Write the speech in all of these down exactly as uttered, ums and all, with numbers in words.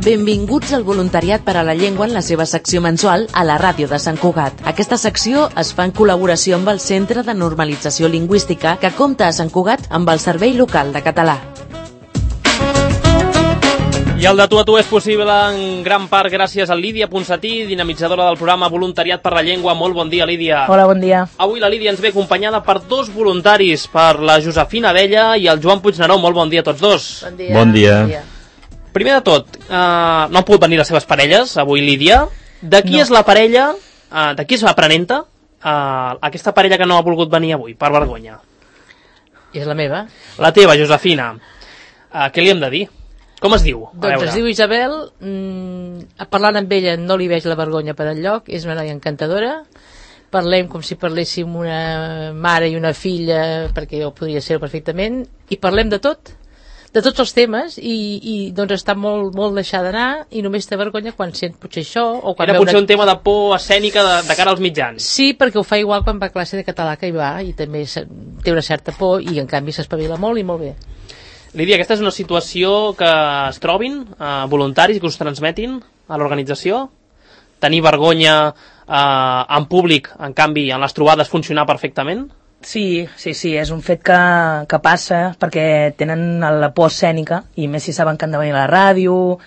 Benvinguts al Voluntariat per a la Llengua en la seva secció mensual a la ràdio de Sant Cugat. Aquesta secció es fa en col·laboració amb el Centre de Normalització Lingüística que compta a Sant Cugat amb el Servei Local de Català. I el de tu a tu és possible en gran part gràcies a Lídia Ponsatí, dinamitzadora del programa Voluntariat per la Llengua. Molt bon dia, Lídia. Hola, bon dia. Avui la Lídia ens ve acompanyada per dos voluntaris, per la Josefina Abella i el Joan Puigneró. Molt bon dia a tots dos. Bon dia. Bon dia. Bon dia. Primer de tot, uh, no han pogut venir les seves parelles avui, Lídia. De qui No. és la parella, uh, de qui és l'aprenenta, uh, aquesta parella que no ha volgut venir avui, per vergonya? És la meva. La teva, Josefina. Uh, què li hem de dir? Com es diu? A Doncs veure. es diu Isabel, mm, parlant amb ella no li veig la vergonya per enlloc, és una noia encantadora, parlem com si parléssim una mare i una filla, perquè jo podria ser perfectament, i parlem de tot, de tots els temes, i, i doncs està molt, molt deixada d'anar, i només té vergonya quan sent potser això, o quan Era veu potser una... un tema de por escènica de, de cara als mitjans. Sí, perquè ho fa igual quan va a classe de català que hi va, i també se- té una certa por, i en canvi s'espavila molt i molt bé. Lídia, aquesta és una situació que es trobin eh, voluntaris que us transmetin a l'organització? Tenir vergonya eh, en públic, en canvi, en les trobades funcionar perfectament? Sí, sí, sí, és un fet que, que passa perquè tenen la por escènica i més si saben que han de venir a la ràdio,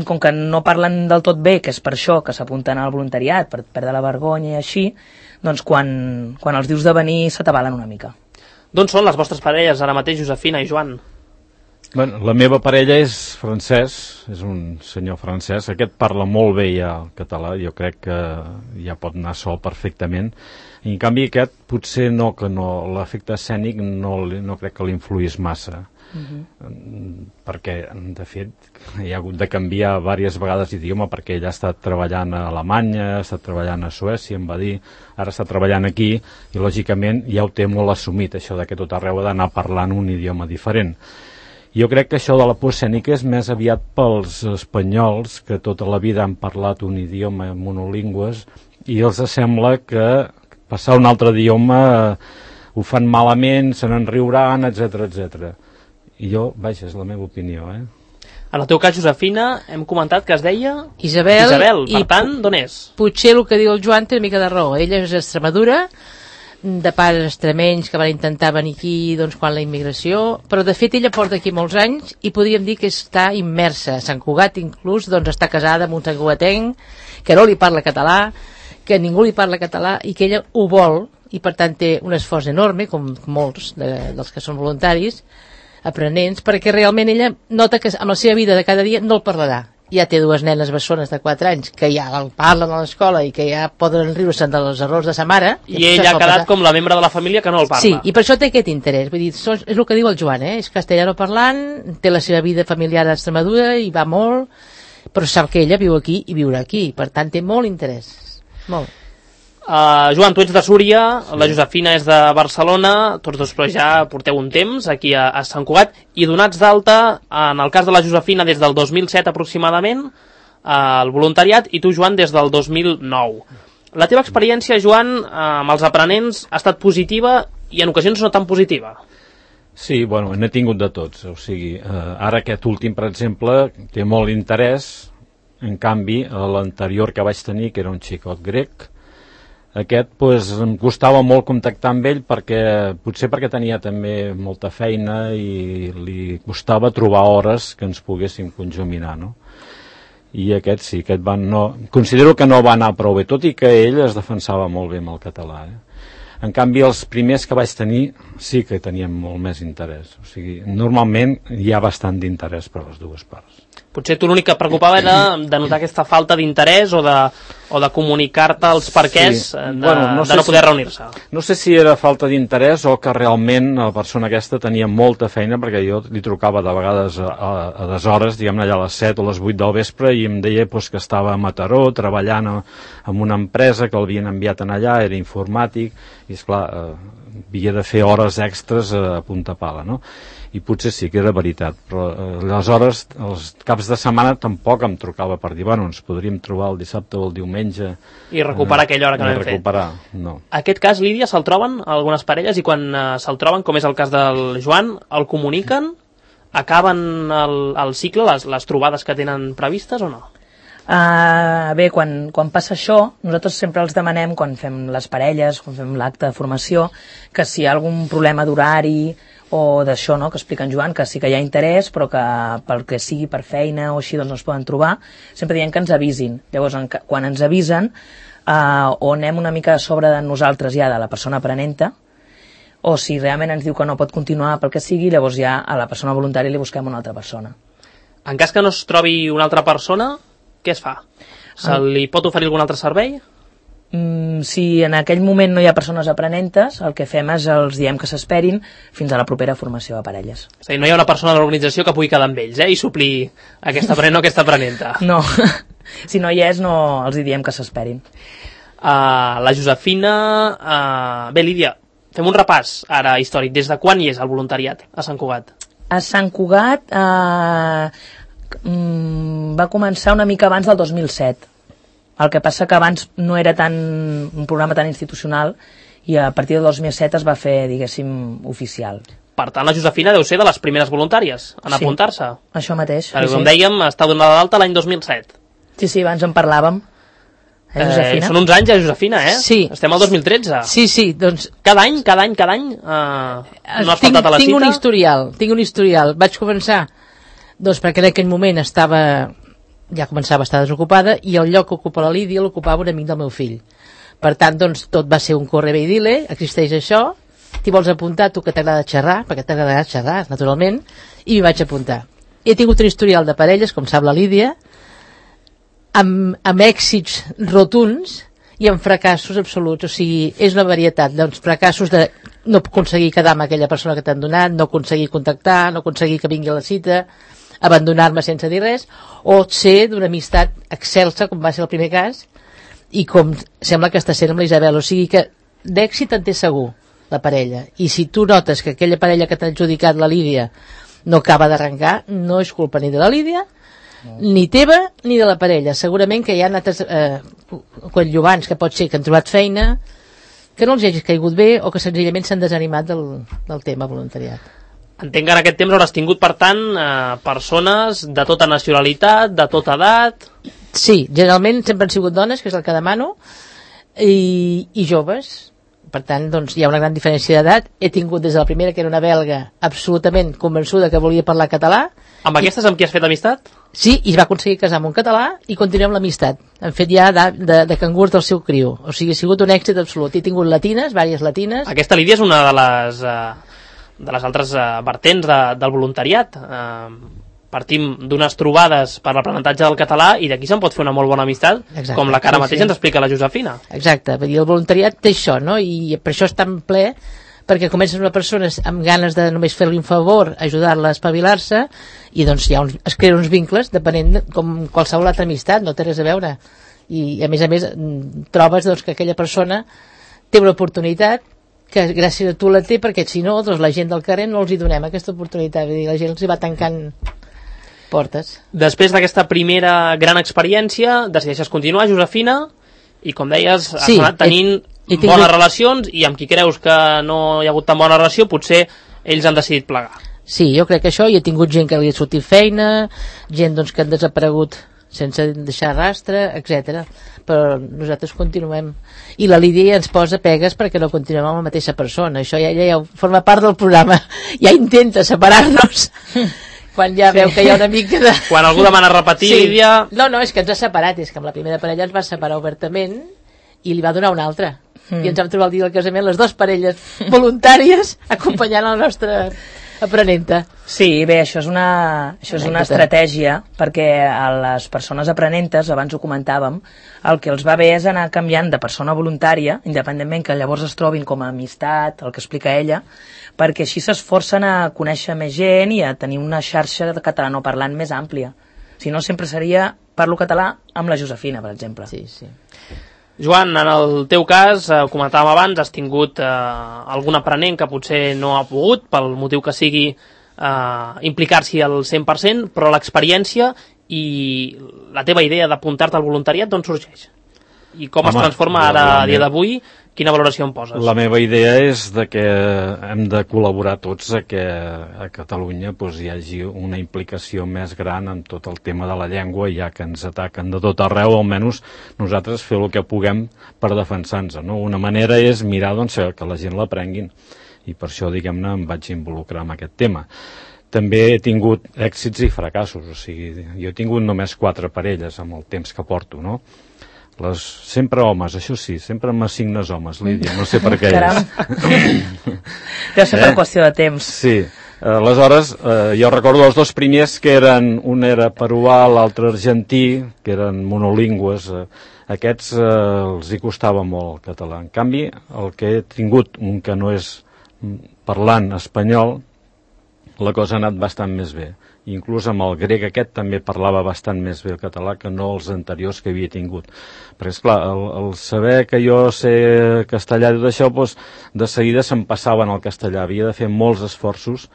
com que no parlen del tot bé, que és per això que s'apunten al voluntariat, per perdre la vergonya i així, doncs quan, quan els dius de venir s'atabalen una mica. D'on són les vostres parelles ara mateix, Josefina i Joan? Bueno, la meva parella és francès, és un senyor francès. Aquest parla molt bé ja el català, jo crec que ja pot anar sol perfectament. I en canvi aquest potser no, que no, l'efecte escènic no, li- no crec que l'influís massa. Mm, perquè de fet hi ha hagut de canviar diverses vegades d'idioma perquè ell ha estat treballant a Alemanya, ha estat treballant a Suècia, em va dir, ara està treballant aquí i lògicament ja ho té molt assumit, això de que tot arreu ha d'anar parlant un idioma diferent. Jo crec que això de la por escènica és més aviat pels espanyols que tota la vida han parlat un idioma monolingües i els sembla que passar un altre idioma eh, ho fan malament, se n'en riuran, etcètera, etcètera. I jo, vaja, és la meva opinió, eh? En el teu cas, Josefina, hem comentat que es deia Isabel, Isabel. Per i tant, d'on és? potser el que diu el Joan té una mica de raó. Ella és d'Extremadura, de pares extremenys que van intentar venir aquí doncs, quan la immigració, però de fet ella porta aquí molts anys i podríem dir que està immersa. A Sant Cugat inclús doncs, està casada amb un santcugatenc que no li parla català, que ningú li parla català i que ella ho vol i per tant té un esforç enorme, com molts de, dels que són voluntaris, aprenents, perquè realment ella nota que amb la seva vida de cada dia no el parlarà. Ja té dues nenes bessones de quatre anys que ja el parlen a l'escola i que ja poden riure-se'n dels errors de sa mare. I ell ha quedat com la membre de la família que no el parla. Sí, i per això té aquest interès. Vull dir, so- és el que diu el Joan, eh? És castellano parlant, té la seva vida familiar a Extremadura i va molt, però sap que ella viu aquí i viurà aquí, per tant té molt interès. Molt. Uh, Joan, tu ets de Súria, sí. La Josefina és de Barcelona, tots dos però ja porteu un temps aquí a, a Sant Cugat, i donats d'alta, en el cas de la Josefina des del dos mil set aproximadament, uh, el voluntariat, i tu, Joan, des del dos mil nou. La teva experiència, Joan, uh, amb els aprenents ha estat positiva i en ocasions no tan positiva. Sí, bueno, n'he tingut de tots, o sigui, eh, ara aquest últim, per exemple, té molt interès, en canvi, a l'anterior que vaig tenir, que era un xicot grec, aquest, pues, em costava molt contactar amb ell perquè, potser perquè tenia també molta feina i li costava trobar hores que ens poguéssim conjuminar, no? I aquest sí, aquest van, no, considero que no va anar prou bé, tot i que ell es defensava molt bé amb el català, eh? En canvi, els primers que vaig tenir sí que tenien molt més interès. O sigui, normalment hi ha bastant d'interès per les dues parts. Potser tu l'únic que et preocupava era de notar aquesta falta d'interès o de, o de comunicar-te els perquès Sí. de, Bueno, no de sé no poder si- reunir-se. No sé si era falta d'interès o que realment la persona aquesta tenia molta feina, perquè jo li trucava de vegades a, a, a deshores, diguem-ne allà a les set o les vuit del vespre, i em deia pues, que estava a Mataró treballant a, en una empresa que l'havien enviat en allà, era informàtic, i esclar, eh, havia de fer hores extres a punta pala, no? I potser sí que era veritat, però eh, aleshores, els caps de setmana tampoc em trucava per dir, bueno, ens podríem trobar el dissabte o el diumenge. I recuperar aquella hora que no hem fet. recuperar, no. Aquest cas, Lídia, se'l troben algunes parelles i quan uh, se'l troben, com és el cas del Joan, el comuniquen? acaben el, el cicle, les, les trobades que tenen previstes o no? Uh, bé, quan, quan passa això, nosaltres sempre els demanem, quan fem les parelles, quan fem l'acte de formació, que si hi ha algun problema d'horari o d'això, no?, que explica en Joan, que sí que hi ha interès, però que pel que sigui per feina o així doncs no es poden trobar, sempre diem que ens avisin. Llavors, en, quan ens avisen, uh, o anem una mica a sobre de nosaltres ja, de la persona aprenenta, o si realment ens diu que no pot continuar pel que sigui, llavors ja a la persona voluntària li busquem una altra persona. En cas que no es trobi una altra persona, què es fa? Se li pot oferir algun altre servei? Mm, si en aquell moment no hi ha persones aprenentes, el que fem és els diem que s'esperin fins a la propera formació de parelles. És a dir, no hi ha una persona de l'organització que pugui quedar amb ells, eh? I suplir aquesta aprenent o aquesta aprenenta. No, si no hi és, no els hi diem que s'esperin. Uh, la Josefina... Uh... Bé, Lídia, fem un repàs ara històric. Des de quan hi és el voluntariat a Sant Cugat? A Sant Cugat... Uh... va començar una mica abans del dos mil set. El que passa que abans no era tan un programa tan institucional i a partir del dos mil set es va fer, diguéssim, oficial. Per tant, la Josefina deu ser de les primeres voluntàries en sí, apuntar-se. Això mateix. Perquè, sí, com sí. dèiem, està donada d'alta l'any dos mil set. Sí, sí, abans en parlàvem. Eh, eh, són uns anys, eh, Josefina, eh? Sí. Estem al dos mil tretze. Sí, sí, doncs... Cada any, cada any, cada any eh, no has tinc, faltat a la tinc cita? un historial, tinc un historial. Vaig començar doncs perquè en aquell moment estava, ja començava a estar desocupada i el lloc que ocupa la Lídia l'ocupava un amic del meu fill. Per tant, doncs, tot va ser un corre bé i dile, existeix això, t'hi vols apuntar, tu que t'agrada xerrar, perquè t'agradarà xerrar, naturalment, i m'hi vaig apuntar. He tingut un historial de parelles, com sap la Lídia, amb, amb èxits rotuns i amb fracassos absoluts, o sigui, és una varietat, doncs, fracassos de no aconseguir quedar amb aquella persona que t'han donat, no aconseguir contactar, no aconseguir que vingui a la cita, abandonar-me sense dir res, o ser d'una amistat excelsa, com va ser el primer cas, i com sembla que està sent amb la Isabel, o sigui que d'èxit en té segur la parella, i si tu notes que aquella parella que t'ha adjudicat la Lídia no acaba d'arrencar, no és culpa ni de la Lídia, no. ni teva ni de la parella, segurament que hi ha altres eh, coadjuvants que pot ser que han trobat feina, que no els hagis caigut bé o que senzillament s'han desanimat del, del tema voluntariat. Entenc que en aquest temps hauràs tingut, per tant, eh, persones de tota nacionalitat, de tota edat... Sí, generalment sempre han sigut dones, que és el que demano, i, i joves. Per tant, doncs, hi ha una gran diferència d'edat. He tingut des de la primera, que era una belga, absolutament convençuda que volia parlar català. Amb aquestes amb qui has fet amistat? Sí, i es va aconseguir casar amb un català i continuem l'amistat. Han fet ja de, de, de cangurs del seu criu. O sigui, ha sigut un èxit absolut. He tingut latines, diverses latines. Aquesta, Lídia, és una de les... Eh... de les altres uh, vertents de, del voluntariat. Uh, partim d'unes trobades per l'aprenentatge del català i d'aquí se'n pot fer una molt bona amistat. Exacte, com la que ara sí, mateix sí. ens explica la Josefina. Exacte, vull dir, el voluntariat té això, no? I per això és tan ple, perquè comences una persona amb ganes de només fer-li un favor, ajudar-la a espavilar-se, i doncs hi ha uns, es creen uns vincles depenent de, com qualsevol altra amistat, no té res a veure. I a més a més trobes doncs, que aquella persona té una oportunitat que gràcies a tu la té, perquè si no, doncs la gent del carrer no els hi donem aquesta oportunitat, vull dir, la gent els hi va tancant portes. Després d'aquesta primera gran experiència, decideixes continuar, Josefina, i com deies, has sí, anat tenint he, he tingut... bones relacions, i amb qui creus que no hi ha hagut tan bona relació, potser ells han decidit plegar. Sí, jo crec que això, i he tingut gent que li ha sortit feina, gent doncs, que han desaparegut sense deixar rastre, etcètera. Però nosaltres continuem. I la Lídia ja ens posa pegues perquè no continuem amb la mateixa persona. Això ja, ja, ja forma part del programa. Ja intenta separar-nos quan ja sí. veu que hi ha una mica de... Quan algú demana repetir, sí. Lídia... No, no, és que ens ha separat. És que amb la primera parella ens va separar obertament i li va donar una altra. Mm. I ens vam trobar el dia del casament les dues parelles voluntàries acompanyant la nostra aprenenta. Sí, bé, això és una, això és una estratègia perquè a les persones aprenentes, abans ho comentàvem, el que els va bé és anar canviant de persona voluntària, independentment que llavors es trobin com a amistat, el que explica ella, perquè així s'esforcen a conèixer més gent i a tenir una xarxa de catalanoparlant més àmplia. Si no, sempre seria parlo català amb la Josefina, per exemple. Sí, sí. Joan, en el teu cas, eh, comentàvem abans, has tingut eh, algun aprenent que potser no ha pogut, pel motiu que sigui, eh, implicar-s'hi al cent per cent, però l'experiència i la teva idea d'apuntar-te al voluntariat d'on sorgeix? I com Home, es transforma ara, a dia d'avui, quina valoració en poses? La meva idea és de que hem de col·laborar tots a que a Catalunya doncs, hi hagi una implicació més gran en tot el tema de la llengua, ja que ens ataquen de tot arreu, almenys nosaltres fer el que puguem per defensar-nos. No? Una manera és mirar doncs, que la gent l'aprenguin, i per això, diguem-ne, em vaig involucrar en aquest tema. També he tingut èxits i fracassos, o sigui, jo he tingut només quatre parelles amb el temps que porto, no? Les, sempre homes, això sí, sempre m'assignes homes, Lídia, no sé per què és. Deu ser per qüestió de temps. Sí, aleshores, eh, jo recordo els dos primers que eren, un era peruà, l'altre argentí, que eren monolingües, eh, aquests eh, els hi costava molt el català. En canvi, el que he tingut, un que no és parlant espanyol, la cosa ha anat bastant més bé. Inclús amb el grec aquest també parlava bastant més bé el català que no els anteriors que havia tingut. Perquè, esclar, el, el saber que jo sé castellà i tot això, doncs, de seguida se'm passava en el castellà. Havia de fer molts esforços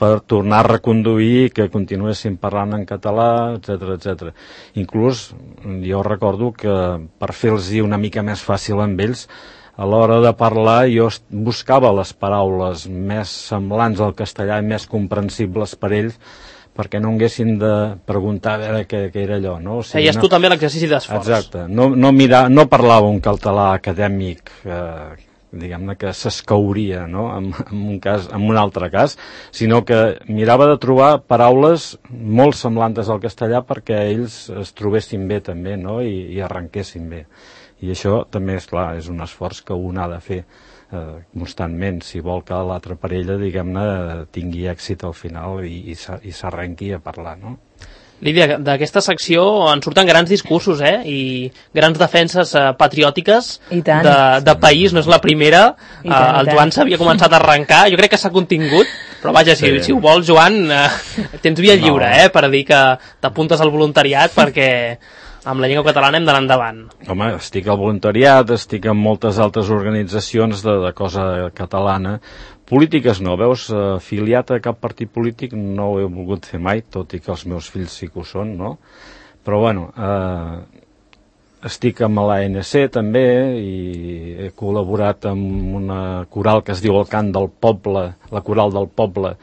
per tornar a reconduir que continuessin parlant en català, etcètera, etcètera. Inclús jo recordo que per fer-los una mica més fàcil amb ells, a l'hora de parlar jo buscava les paraules més semblants al castellà i més comprensibles per ells, perquè no haguessin de preguntar a veure què, què era allò. No? O sigui, Feies no... tu també l'exercici d'esforç. Exacte. No, no, mirar, no parlava un català acadèmic, eh, diguem-ne, que s'escauria, no? en, en, un cas, en un altre cas, sinó que mirava de trobar paraules molt semblants al castellà perquè ells es trobessin bé també, no? I, i arrenquessin bé. I això també, és clar, és un esforç que un ha de fer eh, constantment, si vol que l'altra parella, diguem-ne, tingui èxit al final i, i s'arrenqui a parlar, no? Lídia, d'aquesta secció en surten grans discursos, eh? I grans defenses eh, patriòtiques de, de país, no és la primera. I tant, eh, el Joan s'havia començat a arrencar, jo crec que s'ha contingut, però vaja, si, sí. si ho vols, Joan, eh, tens via lliure, no. eh? Per dir que t'apuntes al voluntariat perquè amb la llengua catalana hem d'anar endavant. Home, estic al voluntariat, estic en moltes altres organitzacions de, de cosa catalana. Polítiques no, veus, afiliat a cap partit polític no ho he volgut fer mai, tot i que els meus fills sí que ho són, no? Però bueno, eh, estic amb l'A N C també i he col·laborat amb una coral que es diu El Cant del Poble, la coral del poble,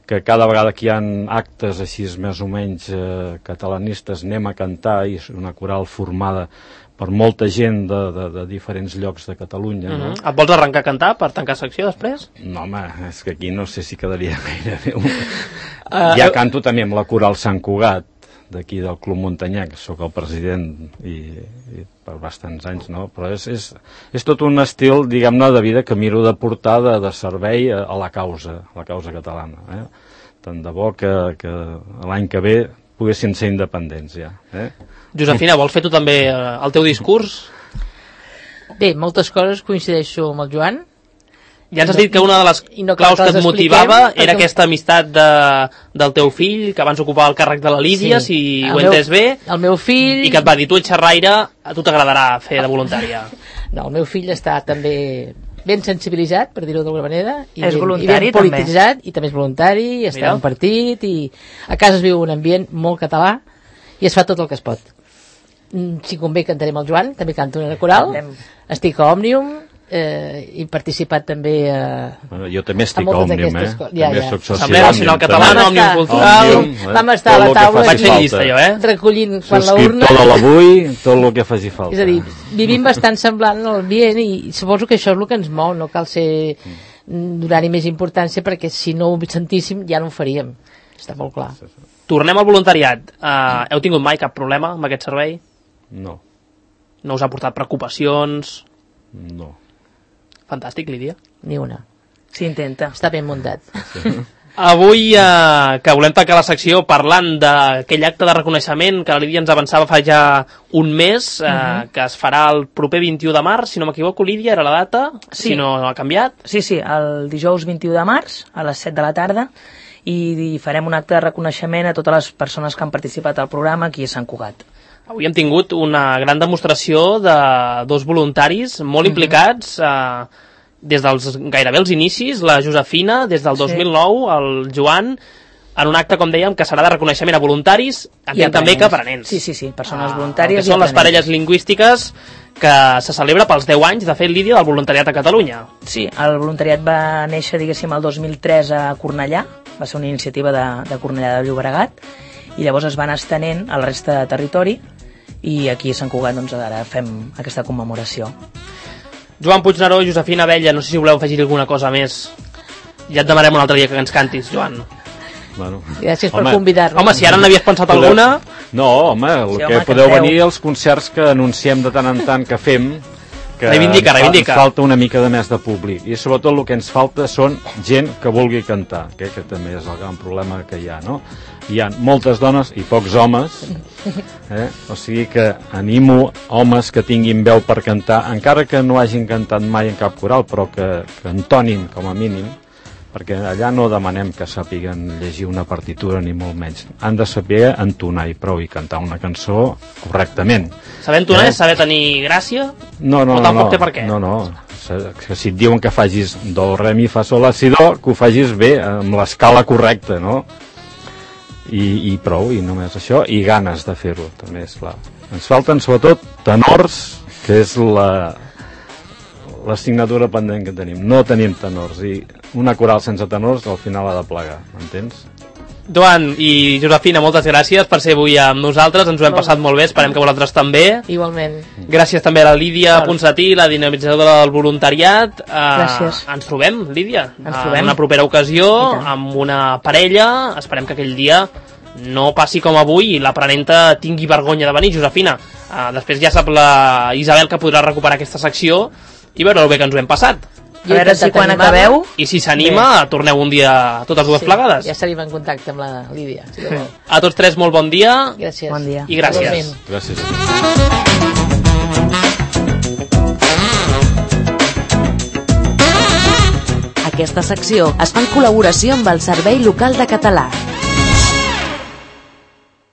que cada vegada que hi ha actes així més o menys eh, catalanistes anem a cantar, i és una coral formada per molta gent de, de, de diferents llocs de Catalunya. Uh-huh. No? Et vols arrencar a cantar per tancar secció després? No, home, és que aquí no sé si quedaria gaire bé. Uh, ja canto també amb la coral Sant Cugat, d'aquí del Club Muntanyenc, soc el president i, i per bastants anys, no? Però és, és, és tot un estil, diguem-ne, de vida que miro de portar de, de servei a, a la causa, a la causa catalana. Eh? Tant de bo que, que l'any que ve poguessin ser independents ja. Eh? Josefina, vols fer tu també el teu discurs? Bé, moltes coses coincideixo amb el Joan. Ja ens has dit que una de les no claus que et motivava era perquè... aquesta amistat de, del teu fill, que abans ocupava el càrrec de la Lídia, sí, si ho he entès bé. El meu fill... I que et va dir, tu ets xerraire, a tu t'agradarà fer de voluntària. No, el meu fill està també ben sensibilitzat, per dir-ho d'alguna manera. I és ben, voluntari, i ben polititzat, també. I també és voluntari, i està en un partit, i a casa es viu un ambient molt català, i es fa tot el que es pot. Si convé cantarem el Joan, també canto en una coral, estic a Òmnium, eh, he participat també a... Bueno, jo també estic a Òmnium, eh? Ja, també ja. soc soci Assemblea Nacional Catalana, Òmnium Cultural... Òmnium, vam estar a la taula vaig ser llista, jo, eh? recollint quan la urna... Subscriptor de l'avui, tot el que faci falta. És a dir, vivim bastant semblant en l'ambient i suposo que això és el que ens mou, no cal ser donar-hi més importància perquè si no ho sentíssim ja no ho faríem, està molt clar. Tornem al voluntariat. Uh, heu tingut mai cap problema amb aquest servei? No. No us ha portat preocupacions? No. Fantàstic, Lídia. Ni una. S'intenta. Està ben muntat. Sí. Avui, eh, que volem tancar la secció parlant d'aquell acte de reconeixement que la Lídia ens avançava fa ja un mes, eh, uh-huh. que es farà el proper vint-i-u de març, si no m'equivoco, Lídia, era la data, sí. Si no ha canviat. Sí, sí, el dijous vint-i-u de març, a les set de la tarda, i farem un acte de reconeixement a totes les persones que han participat al programa aquí a Sant Cugat. Avui hem tingut una gran demostració de dos voluntaris molt implicats, eh, des dels gairebé els inicis, la Josefina, des del dos mil nou, el Joan, en un acte, com dèiem, que serà de reconeixement a voluntaris, entenc també que aprenents. Sí, sí, sí, persones voluntàries ah, que són les parelles lingüístiques que se celebra pels deu anys, de fet, Lídia, del voluntariat a Catalunya. Sí, el voluntariat va néixer, diguéssim, el dos mil tres a Cornellà, va ser una iniciativa de, de Cornellà de Llobregat, i llavors es van estenent a la resta de territori, i aquí a Sant Cugat doncs, ara fem aquesta commemoració. Joan Puigneró, Josefina Abella, no sé si voleu afegir alguna cosa més. Ja et demanarem un altre dia que ens cantis, Joan. Bueno, gràcies per home, convidar-nos. Home, si ara n'havies pensat podeu... alguna... No, home, el Sí, que home, podeu canteu. venir als concerts que anunciem de tant en tant que fem, que Reivindica, ens, fa- reivindica. ens falta una mica de més de públic, i sobretot el que ens falta són gent que vulgui cantar, que, que també és el gran problema que hi ha, no? Hi ha moltes dones i pocs homes, eh? O sigui que animo homes que tinguin veu per cantar, encara que no hagin cantat mai en cap coral, però que, que entonin com a mínim, perquè allà no demanem que sàpiguen llegir una partitura ni molt menys, han de saber entonar i prou i cantar una cançó correctament. Saber entonar Eh? és saber tenir gràcia? No, no, O no, tampoc no, té per què? no, no. Que si et diuen que facis do, re, mi, fa, sol, la, si, do, que ho facis bé, amb l'escala correcta, no? I, i prou, i només això, i ganes de fer-ho, també, és clar. Ens falten sobretot tenors, que és la l'assignatura pendent que tenim. No tenim tenors, i una coral sense tenors al final ha de plegar, m'entens? Joan i Josefina, moltes gràcies per ser avui amb nosaltres, ens ho hem passat molt bé, esperem que vosaltres també. Igualment. Gràcies també a la Lídia Val. Ponsatí, la dinamitzadora del voluntariat. Uh, Gràcies. Ens trobem, Lídia, Ens trobem. en una propera ocasió, I tant. amb una parella. Esperem que aquell dia no passi com avui i l'aprenenta tingui vergonya de venir. Josefina, uh, després ja sap la Isabel que podrà recuperar aquesta secció i veure el bé que ens ho hem passat. A veure si quan acabeu... I si s'anima, torneu un dia totes dues Sí, plegades. ja estaríem en contacte amb la Lídia. Si vol. A tots tres, molt bon dia. Gràcies. Bon dia. I gràcies. Igualment. Gràcies. Aquesta secció es fa en col·laboració amb el Servei Local de Català.